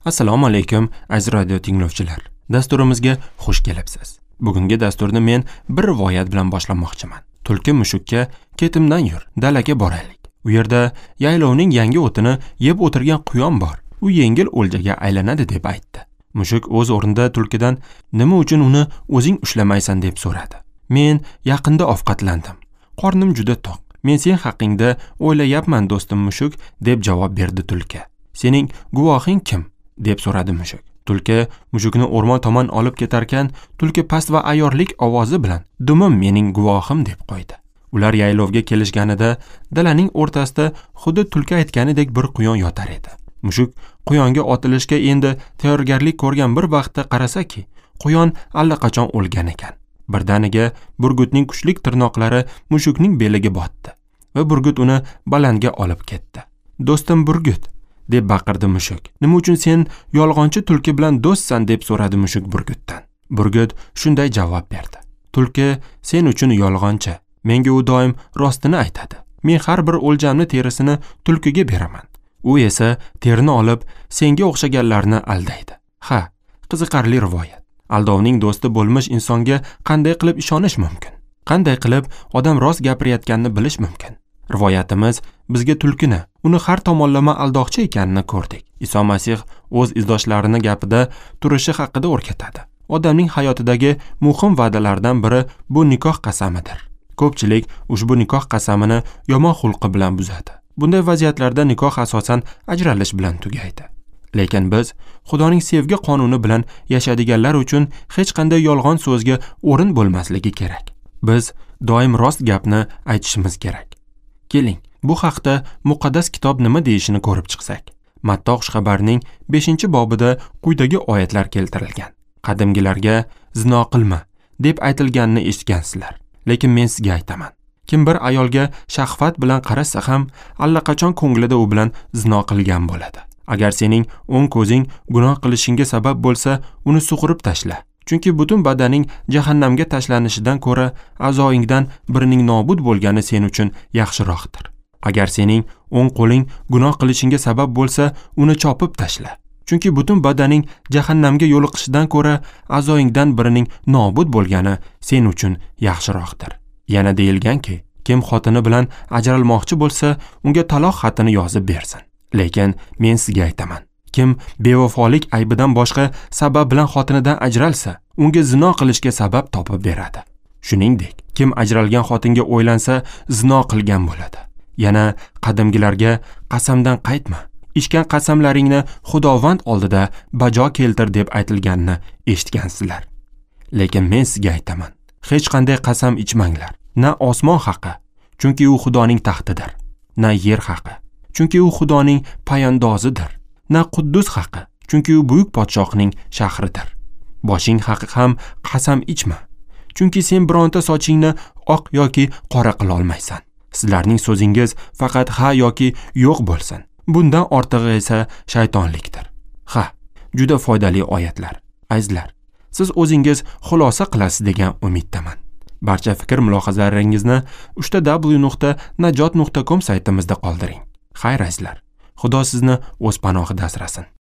Assalomu alaykum aziz radio tinglovchilar. Dasturimizga xush kelibsiz. Bugungi dasturni men bir rivoyat bilan boshlamoqchiman. Tulki mushukka ketimdan yur, dalaga boraylik. U yerda yaylovning yangi o'tini yeb o'tirgan quyon bor. U yengil o'ljaga aylanadi deb aytdi. Mushuk o'z o'rnida tulkidan nima uchun uni o'zing ushlamaysan deb so'radi. Men yaqinda ovqatlandim. Qornim juda to'q. Men sen haqingda o'ylayapman do'stim mushuk deb javob berdi tulki. Sening guvohing kim? deb so'radi mushuk. Tulki mushukni o'rmon tomon olib ketarkan, tulki past va ayyorlik ovozi bilan "Dumim mening guvohim" deb qo'ydi. Ular yaylovga kelishganida dalaning o'rtasida xuddi tulki aytganidek bir quyon yotar edi. Mushuk quyonga otilishga endi tayyorgarlik ko'rgan bir vaqtda qarasaki, quyon allaqachon o'lgan ekan. Birdaniga burgutning kuchlik tirnoqlari mushukning beliga botdi va burgut uni balandga olib ketdi. "Do'stim burgut" deb baqirdi mushuk. "Nima uchun sen yolg'onchi tulki bilan do'stsan?" deb so'radi mushuk burgutdan. Burgut shunday javob berdi: "Tulki sen uchun yolg'onchi. Menga u doim rostini aytadi. Men har bir o'ljamni terisini tulkiga beraman. U esa terini olib senga o'xshaganlarni aldaydi." Ha, qiziqarli rivoyat. Aldovning do'sti bo'lmish insonga qanday qilib ishonish mumkin? Qanday qilib odam rost gapirayotganini bilish mumkin? Rivoyatimiz bizga tulkini, uni har tomonlama aldoqchi ekanini ko'rdik. Iso Masih o'z izdoshlarini gapida turishi haqida o'rgatadi. Odamning hayotidagi muhim va'dalardan biri bu nikoh qasamidir. Ko'pchilik ushbu nikoh qasamini yomon xulqi bilan buzadi. Bunday vaziyatlarda nikoh asosan ajralish bilan tugaydi. Lekin biz Xudoning sevgi qonuni bilan yashadiganlar uchun hech qanday yolg'on so'zga o'rin bo'lmasligi kerak. Biz doim rost gapni aytishimiz kerak. Keling, bu haqda muqaddas kitob nima deyishini ko'rib chiqsak. Matto xushxabarining 5-bobida quyidagi oyatlar keltirilgan. Qadimgilarga zino qilma deb aytilganini eshitgansizlar. Lekin men sizga aytaman. Kim bir ayolga shahvat bilan qarasa ham, allaqachon ko'nglida u bilan zino qilgan bo'ladi. Agar sening o'ng ko'zing gunoh qilishingga sabab bo'lsa, uni sug'urib tashla. Chunki butun badaning jahannamga tashlanishidan ko'ra a'zoingdan birining nobud bo'lgani sen uchun yaxshiroqdir. Agar sening o'ng qo'ling gunoh qilishingga sabab bo'lsa, uni chopib tashla. Chunki butun badaning jahannamga yo'liqishidan ko'ra a'zoingdan birining nobud bo'lgani sen uchun yaxshiroqdir. Yana deyilganki, kim xotini bilan ajralmoqchi bo'lsa, unga taloq xatini yozib bersin. Lekin men sizga aytaman, kim bevafolik aybidan boshqa sabab bilan xotinidan ajralsa, unga zino qilishga sabab topib beradi. Shuningdek, kim ajralgan xotinga o'ylansa, zino qilgan bo'ladi. Yana qadimgilarga qasamdan qaytma, ichgan qasamlaringni Xudovand oldida bajo keltir deb aytilganini eshitgansizlar. Lekin men sizga aytaman, hech qanday qasam ichmanglar. Na osmon haqi, chunki u Xudoning taxtidir, na yer haqi, chunki u Xudoning payandozidir, na Quddus haqi, chunki u buyuk podshohning shahridir. Boshing haqi ham qasam ichma, chunki sen bironta sochingni oq yoki qora qila olmaysan. Sizlarning so'zingiz faqat ha yoki yo'q bo'lsin. Bundan ortig'i esa shaytonlikdir. Ha, juda foydali oyatlar. Azizlar, siz o'zingiz xulosa qilasiz degan umiddaman. Barcha fikr mulohazalaringizni www.najot.com saytimizda qoldiring. Xayr azizlar, Xudo sizni o'z panohida asrasin.